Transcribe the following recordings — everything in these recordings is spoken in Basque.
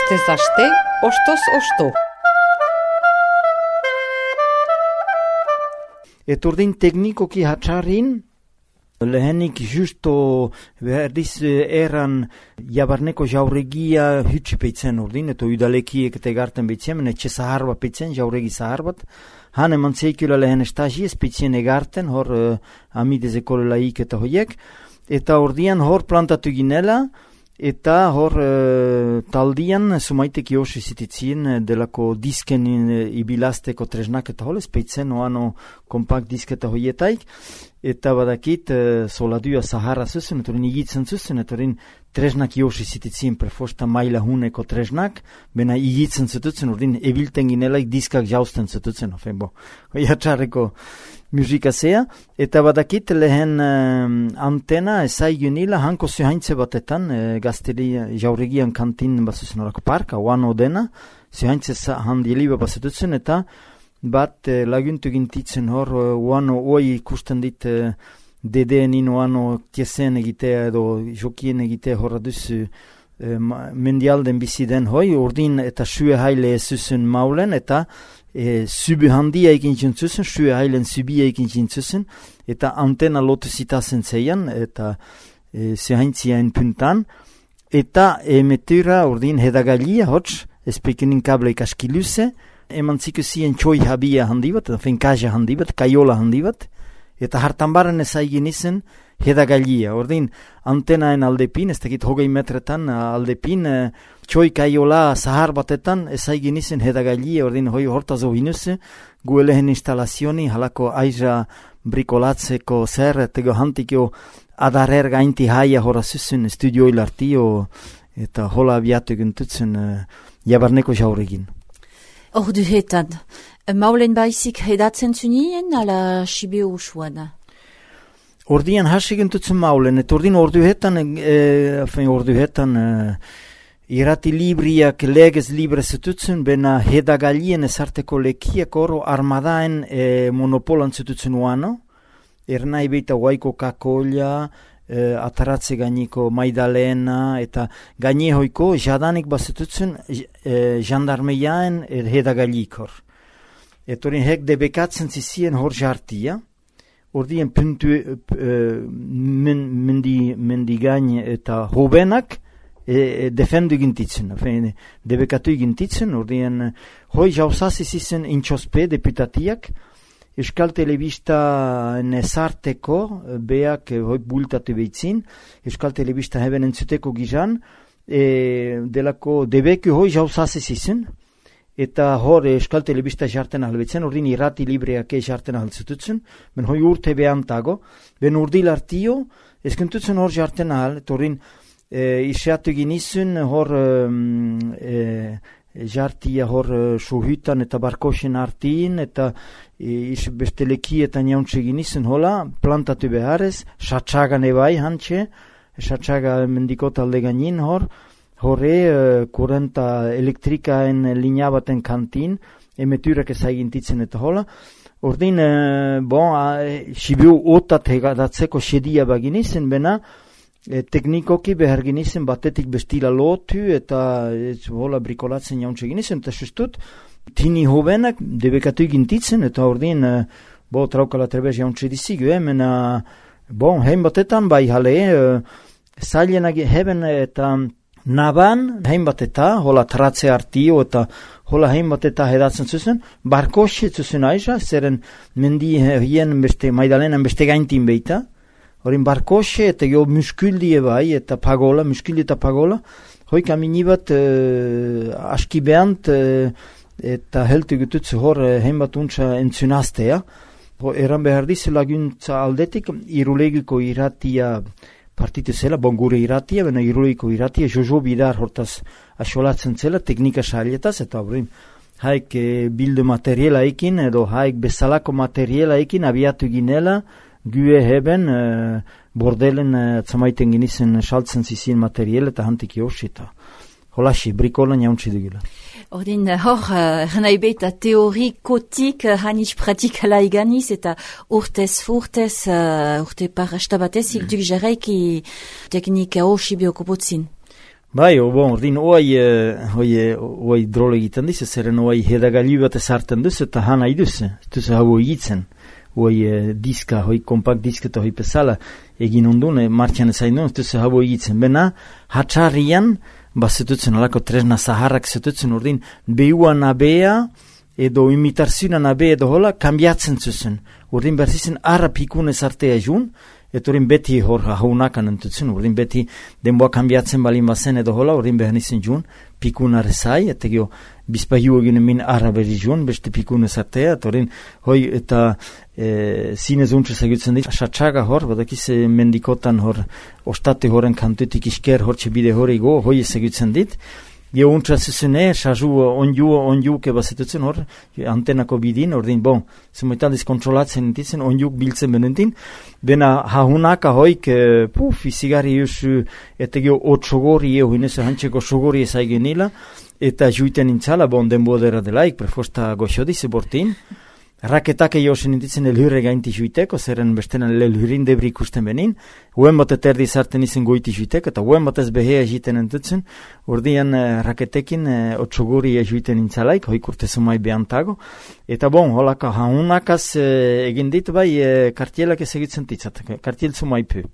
Astez aste, ostoz osto. Etordin teknikoki hatxarrin, lehenik justo berdiz erran jabarneko jauregia hütsipeitzen urdin, eta udalekiek eta egarten beitzen, etxe zahar bat peitzen, jauregi zahar bat. Han eman zeikula lehen estagiez peitzen egarten, hor amidez ekolelaik eta hoiek, eta ordian hor plantatu ginela, eta hor taldian sumaitek josi zititzien delako disken ibilazteko tresnak eta holez peitzen oano kompakt disketa hoietaik, eta badakit soladua Sahara zuzen, eta hori igitzen zuzen, eta hori tresnak josi zititzien prefosta maila huneko tresnak, bena igitzen zututzen, hori ebilten ginelaik diskak jausten zututzen, jatxarreko musika zea, eta badakit lehen antena ezaigunila hanko zuhaintze batetan, gazteri jauregian kantin bazuzen horako parka, oano dena, zuhaintze handieliba bazetutzen, eta bat laguntu gintitzen hor, oano oi ikusten dit dedeen ino oano tiesen egitea edo jokien egitea horra duzu mendialden biziden hoi, urdin eta sue haile zuzen maulen, eta zubi handia ekin jintzuzen, sue hailen zubia ekin jintzuzen, eta antena lotu zitazen zeian, eta zehaintziaen puntan, eta emetura urdin hedagalia hots, espekenin kableik askiluze, eman zikusien txoi habia handi bat, eta fenkaja handi bat, kaiola handi bat, eta hartan baren ezaigin izen hedagalia. Ordin antenaen aldepin, ez dakit hogei metretan aldepin, txoi kaiola zahar batetan ezaigin izen hedagalia, ordin hoi hortazo hinuze, guelehen instalazioni, halako aiza brikolatzeko zer, tego hantikio adarer gainti haia horazuzen studio ilartio, eta hola abiatu gintutzen jabarneko jauregin. Orduhetan, maulen baizik hedatzen zunien, ala sibio usuan? Ordian hasi gintutzen maulen, eta ordin orduhetan irati libriak legez libre zututzen, bena hedagalien ezarteko lekiak oro armadaen monopolan zututzen uano, ernai beita guaiko kakolla, ataratze gainiko maidalena, eta gainehoiko jadanik bazetutzen jandarmeiaen hedagalik hor. Eta hori hek debekatzen zizien hor jartia, ordien puntu mendigain eta hobenak defendu gintitzen, debekatu gintitzen, ordien hoi jauzazi zizen intxospe deputatiak, Euskal Telebista nezarteko, beak hoi bultatu behitzin, Euskal Telebista heben entzuteko gizan, delako debeku hoi jauzazi zizen, eta hor Euskal Telebista jarten ahalbetzen, ordin irrati libreak jarten ahalzututzen, ben hoi urte behantago, ben urdil hartio, eskentutzen hor jarten ahal, eta ordin isatu ginizun hor jartia hor suhutan eta barkosen artiin, eta besteleki eta niauntze ginizun hola, plantatu beharrez, satsagan ebai hantxe, satsaga mendikot alde gainin hor, horre kurenta elektrikaen linea baten kantin, emeturak ezagintitzen eta hola. Ordin, sibiu otat hegadatzeko sedia baginizen, bena teknikoki behar ginizen batetik bestila lotu eta hola brikolatzen jauntze ginizen, eta sustut, tini hobenak debekatu gintitzen, eta ordin, traukala trebez jauntze dizigu, mena, hein batetan bai jale, zailenak heben eta naban, hein bateta, hola tratze hartio, eta hola hein bateta hedatzen zuzen, barkoxe zuzen aiza, zeren mendi hien beste, maidalenan beste gaintin beita, horin barkoxe eta jo muskildie bai, eta pagola, muskildi eta pagola, hoi kamini bat aski behant, eta heltu gututzu hor hein bat untsa entzunaztea, eran behar dizu laguntza aldetik, irulegiko irratia partitu zela, gure irratia, bena irulegiko irratia, Jojo Bidar hortaz asolatzen zela, teknika sailetaz, eta horin haik bildu materiala ekin, edo haik bezalako materiala ekin abiatu ginela, gue heben bordelen zamaiten ginizen saltzen zizien material eta hantik josi eta holaxi, brikolan jauntzi dugula. Ordin, hor, nahi beita teorikotik hanis pratikala iganiz eta urtez, urte parasta batez, duk jarraiki teknika hoxi biokopotzin. Bai, ordin oai drole egiten dizu, zeren oai hedagailu bat ezarten duzu eta hana iduzu, duzu hau egitzen. Oai diska, kompakt diska eta pesala egin ondune, martxan ezain duen, duzu hau egitzen. Bena, hatxarrian, zetutzen alako tresna zaharrak zetutzen ordin, behuan abea, edo imitarzionan abea edo hola, kambiatzen zuzen. Ordin berzizen arra pikunez artea jun, eta ordin beti hor haunakan entutzen, ordin beti denboa kambiatzen balin bazen edo hola, ordin behar nizien jun, pikunare zai, eta gio bizpahiu egin min arra berri jun, beste pikunez artea, eta ordin, eta zinez untrez egutzen dit, asatsaga hor, badakiz mendikotan hor, ostate horen kantutik isker hor txebide hori go, hoi ez egutzen dit, gio untraz zuzene, sazu onju keba zetutzen hor, antenako bidin, ordin, zemoetan kontrolatzen entitzen, onjuk biltzen benentin, bena hahunaka hoik, izigarri eusu, eta gio otsogori hinez hantzeko sogori ezaigen nila, eta juiten intzala, denbodera delaik, prefosta goxodize bortin, raketak josen intitzen elhurre gainti juiteko, zeren bestenan elhurrin debri ikusten benin, uen bat eterdi zarten izen goiti juiteko, eta uen bat ez behea egiten entutzen, ordian raketekin otsoguri juiten intzalaik, hoik urte zumai behantago, eta holaka haunakaz egin dit bai kartielak ez egitzen titzat, kartiel zumai pu.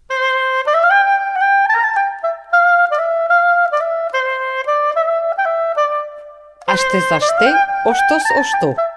Astez aste, ostoz osto.